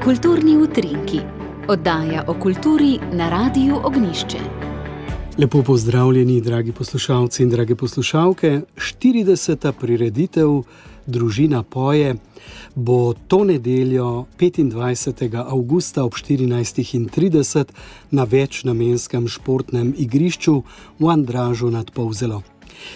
Kulturni utrinki. Oddaja o kulturi na Radiu Ognjišče. Lepo pozdravljeni, dragi poslušalci in drage poslušalke. 40. prireditev Družina poje bo to nedeljo 25. avgusta ob 14:30 na večnamenskem športnem igrišču v Andražu nad Polzelo.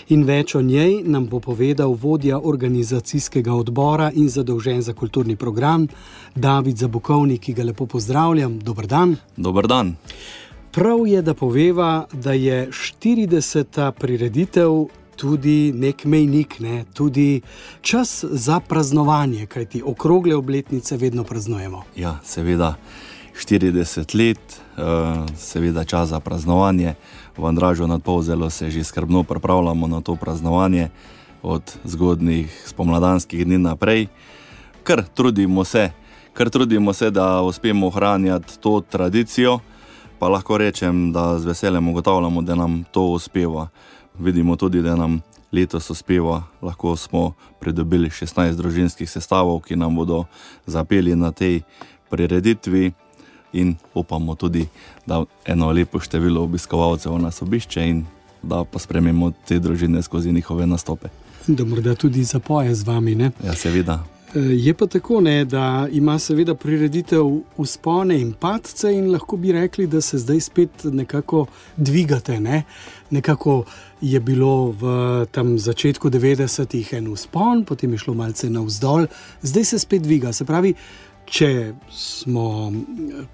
In več o njej nam bo povedal vodja organizacijskega odbora in zadolžen za kulturni program David Zabukovnik, ki ga lepo pozdravljam. Dober dan. Dober dan. Prav je, da poveva, da je 40. prireditev tudi nek mejnik, tudi čas za praznovanje, kajti okrogle obletnice vedno praznujemo. Ja, seveda 40 let, seveda čas za praznovanje. V Andražu nad Polzelo se že skrbno pripravljamo na to praznovanje od zgodnjih spomladanskih dni naprej. Kar trudimo se, da uspemo ohranjati to tradicijo, pa lahko rečem, da z veseljem ugotavljamo, da nam to uspeva. Vidimo tudi, da nam letos uspeva. Lahko smo pridobili 16 družinskih sestavov, ki nam bodo zapeli na tej prireditvi. In upamo tudi, da eno lepo število obiskovalcev nas obišče in da pospremimo te družine skozi njihove nastope. Da morda tudi zapoje z vami, ne? Ja, seveda. Je pa tako, da ima seveda prireditev vzpone in padce in lahko bi rekli, da se zdaj spet nekako dvigate, ne? Nekako je bilo v tam začetku 90-ih en vzpon, potem je šlo malce navzdol, zdaj se spet dviga. Se pravi, če smo,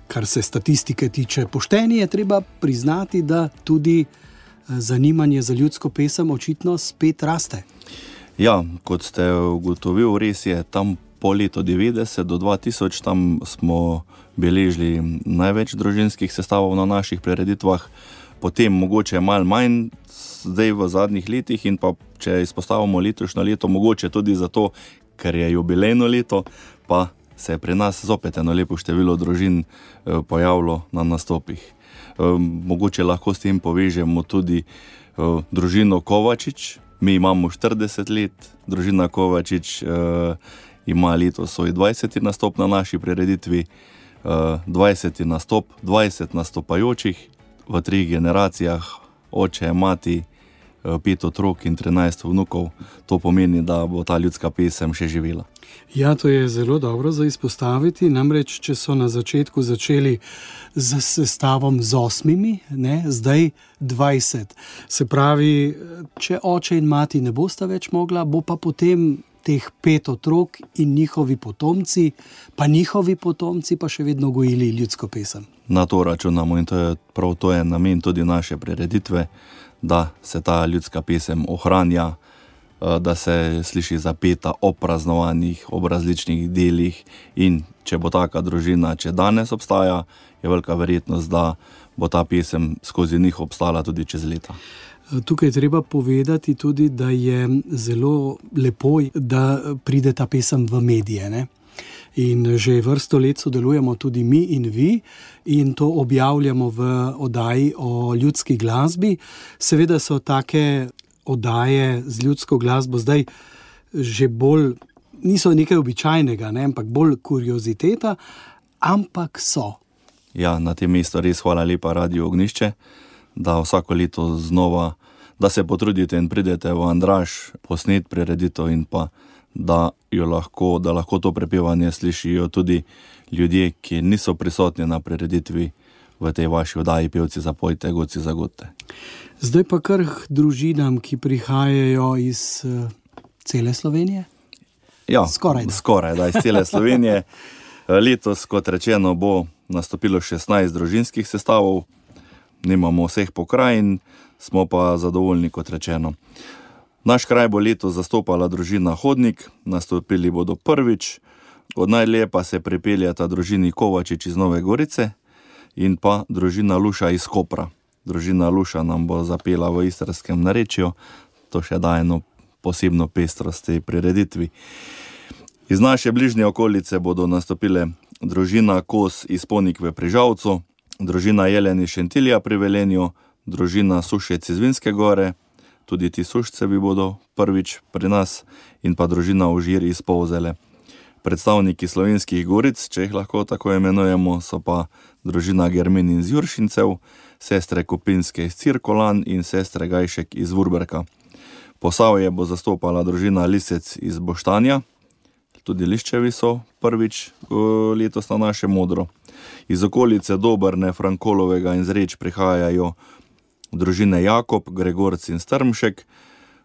kar se statistike tiče, pošteni, je treba priznati, da tudi zanimanje za ljudsko pesem očitno spet raste. Ja, kot ste ugotovili, res je, tam po letu 90 do 2000 tam smo beležili največ družinskih sestavov na naših prireditvah, potem mogoče malo manj zdaj v zadnjih letih in pa če izpostavimo letošnje leto, mogoče tudi zato, ker je jubilejno leto, pa se je pri nas zopet eno lepo število družin pojavilo na nastopih. Mogoče lahko s tem povežemo tudi družino Kovačič. Mi imamo 40 let, družina Kovačič ima letos svoj 20. nastop na naši prireditvi, 20. nastop, 20 nastopajočih v 3 generacijah, oče, mati, 5 otrok in 13 vnukov. To pomeni, da bo ta ljudska pesem še živela. Ja, to je zelo dobro za izpostaviti, namreč, če so na začetku začeli z sestavom z 8, zdaj 20. Se pravi, če oče in mati ne bosta več mogla, bo pa potem teh 5 otrok in njihovi potomci, pa še vedno gojili ljudsko pesem. Na to računamo in to je namen tudi naše prireditve, da se ta ljudska pesem ohranja, da se sliši zapeta ob praznovanjih, ob različnih delih in če bo taka družina, če danes obstaja, je velika verjetnost, da bo ta pesem skozi njih obstala tudi čez leta. Tukaj je treba povedati tudi, da je zelo lepo, da pride ta pesem v medije, ne? In že vrsto let sodelujemo tudi mi in vi in to objavljamo v oddaji o ljudski glasbi. Seveda so take oddaje z ljudsko glasbo zdaj že bolj, niso nekaj običajnega, ampak bolj kurioziteta, ampak so. Ja, na tem mestu res hvala lepa Radiu Ognjišče, da vsako leto znova, da se potrudite in pridete v Andraž posnet prireditev in pa da lahko to prepevanje slišijo tudi ljudje, ki niso prisotni na prireditvi v tej vaši oddaji Pevci zapojte, godci zagodite. Zdaj pa kar družinam, ki prihajajo iz cele Slovenije? Ja, skoraj iz cele Slovenije. Letos, kot rečeno, bo nastopilo 16 družinskih sestavov, nimamo vseh pokrajin, smo pa zadovoljni, kot rečeno. Naš kraj bo letos zastopala družina Hodnik, nastopili bodo prvič, od najdlje pa se pripeljata družini Kovačič iz Nove Gorice in pa družina Luša iz Kopra. Družina Luša nam bo zapela v istrskem narečju, to še daje eno posebno pestrost tej prireditvi. Iz naše bližnje okolice bodo nastopile družina Kos iz Ponikve pri Žalcu, družina Jelen iz Šentilja pri Velenju, družina Sušec iz Vinske Gore, tudi ti Sušcevi bodo prvič pri nas, in pa družina Užir iz Polzele. Predstavniki Slovenskih goric, če jih lahko tako imenujemo, so pa družina Germin iz Juršincev, sestre Kopinske iz Cirkolan in sestre Gajšek iz Vurberka. Posavje bo zastopala družina Lisec iz Boštanja, tudi Liščevi so prvič letos na našem modro. Iz okolice Dobrne, Frankolovega in Zreč prihajajo družine Jakob, Gregorc in Strmšek,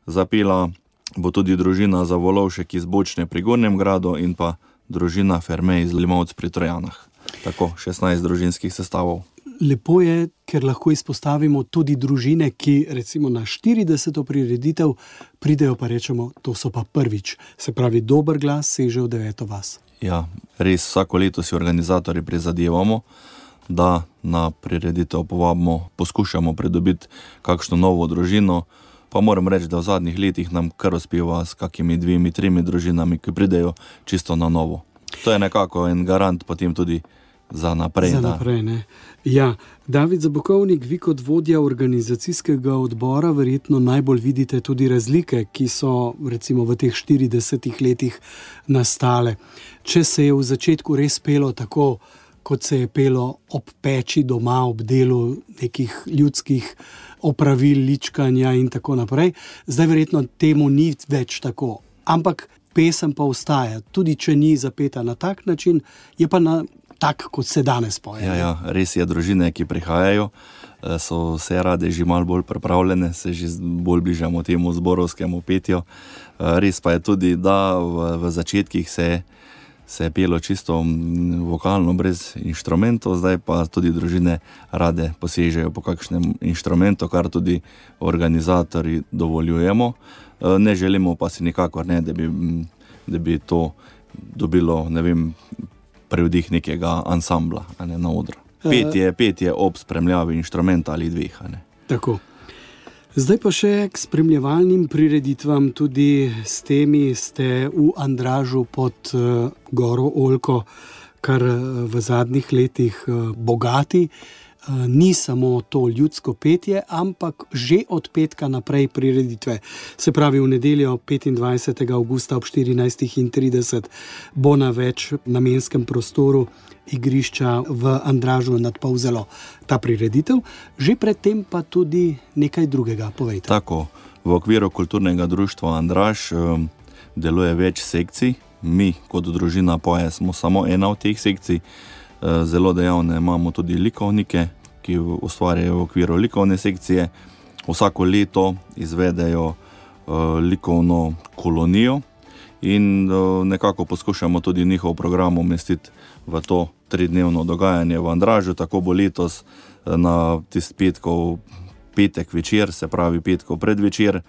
zapela bo tudi družina Zavolovšek iz Bočne pri Gornjem Gradu in pa družina Ferme iz Limovc pri Trojanah. Tako, 16 družinskih sestavov. Lepo je, ker lahko izpostavimo tudi družine, ki recimo na 40. prireditev pridejo pa rečemo, to so pa prvič. Se pravi, dober glas seže v 9. vas. Ja, res vsako leto si organizatorji prizadevamo, da na prireditev povabimo, poskušamo pridobiti kakšno novo družino. Pa moram reči, da v zadnjih letih nam kar uspeva s kakimi 2-3 družinami, ki pridejo čisto na novo. To je nekako en garant potem tudi za naprej. Za naprej, ne. Ja, David Zabokovnik, vi kot vodja organizacijskega odbora verjetno najbolj vidite tudi razlike, ki so recimo v teh 40 letih nastale. Če se je v začetku res pelo tako, kot se je pelo ob peči doma, ob delu nekih ljudskih opravil, ličkanja in tako naprej. Zdaj verjetno temu ni več tako, ampak pesem pa ostaja. Tudi če ni zapeta na tak način, je pa na tak, kot se danes poje. Ja, res je, družine, ki prihajajo, so vse rade že malo bolj pripravljene, se že bolj bližamo temu zborovskemu petju. Res pa je tudi, da v začetkih se je pelo čisto vokalno, brez inštrumentov, zdaj pa tudi družine rade posežejo po kakšnem inštrumentu, kar tudi organizatorji dovoljujemo. Ne želimo pa si nikakor ne, da bi to dobilo, ne vem, prevdih nekega ansambla, a ne, na odru. Petje ob spremljavi inštrumenta ali dveh, a ne. Tako. Zdaj pa še k spremljevalnim prireditvam, tudi s temi ste v Andražu pod Goro Oljko, kar v zadnjih letih bogati. Ni samo to ljudsko petje, ampak že od petka naprej prireditve. Se pravi, v nedeljo 25. avgusta ob 14:30 bo na več namenskem prostoru igrišča v Andražu nad Polzelo ta prireditev. Že predtem pa tudi nekaj drugega, povejte. Tako, v okviru kulturnega društva Andraž deluje več sekcij. Mi kot družina Poje smo samo ena od teh sekcij. Zelo dejavne imamo tudi likovnike, ki ustvarjajo v okviru likovne sekcije. Vsako leto izvedejo likovno kolonijo in nekako poskušamo tudi njihov program umestiti v to 3-dnevno dogajanje v Andražu. Tako bo letos na tisti petek večer, se pravi petkov predvečer,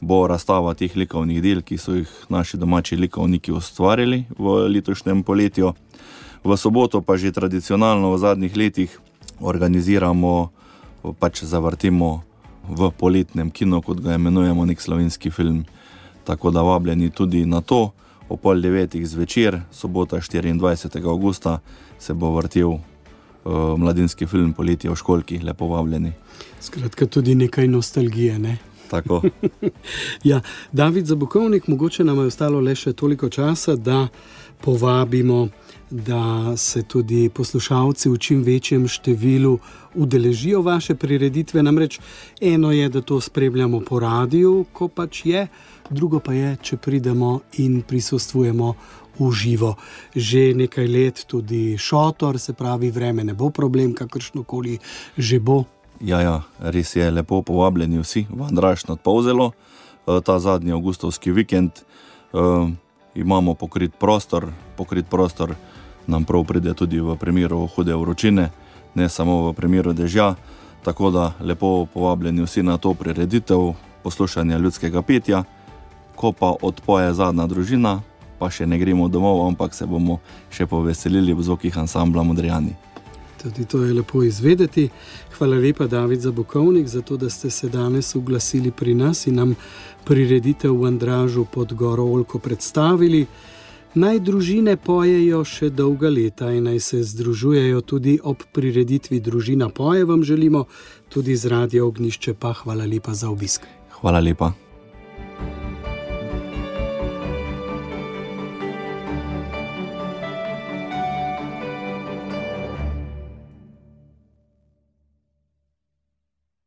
bo razstava teh likovnih del, ki so jih naši domači likovniki ustvarili v letošnjem poletju. V soboto pa že tradicionalno v zadnjih letih organiziramo, pač zavrtimo v poletnem kinu, kot ga imenujemo, nek slovenski film. Tako da vabljeni tudi na to. O 8:30 zvečer, sobota 24. avgusta, se bo vrtel mladinski film Poletje v školjki. Lepo vabljeni. Skratka, tudi nekaj nostalgije, ne? Tako. Ja, David Zabokovnik, mogoče nam je ostalo le še toliko časa, da povabimo, da se tudi poslušalci v čim večjem številu udeležijo vaše prireditve. Namreč eno je, da to spremljamo po radiju, ko pač je, drugo pa je, če pridemo in prisostvujemo v živo. Že nekaj let tudi šotor, se pravi, vreme ne bo problem, kakršnokoli že bo. Ja, res je, lepo povabljeni vsi v Andraž nad Polzelo. Ta zadnji avgustovski vikend imamo pokrit prostor nam prav pride tudi v primeru hude vročine, ne samo v primeru dežja, tako da lepo povabljeni vsi na to prireditev poslušanja ljudskega petja. Ko pa odpoje zadnja družina, pa še ne gremo domov, ampak se bomo še poveselili v zvokih ansambla Modrijani. Tudi to je lepo izvedeti. Hvala lepa, David Zabokovnik, za to, da ste se danes oglasili pri nas in nam prireditev v Andražu pod Goro Oljko predstavili. Naj družine pojejo še dolga leta in naj se združujejo tudi ob prireditvi Družina poje, vam želimo tudi z Radio Ognjišče, pa hvala lepa za obisk. Hvala lepa.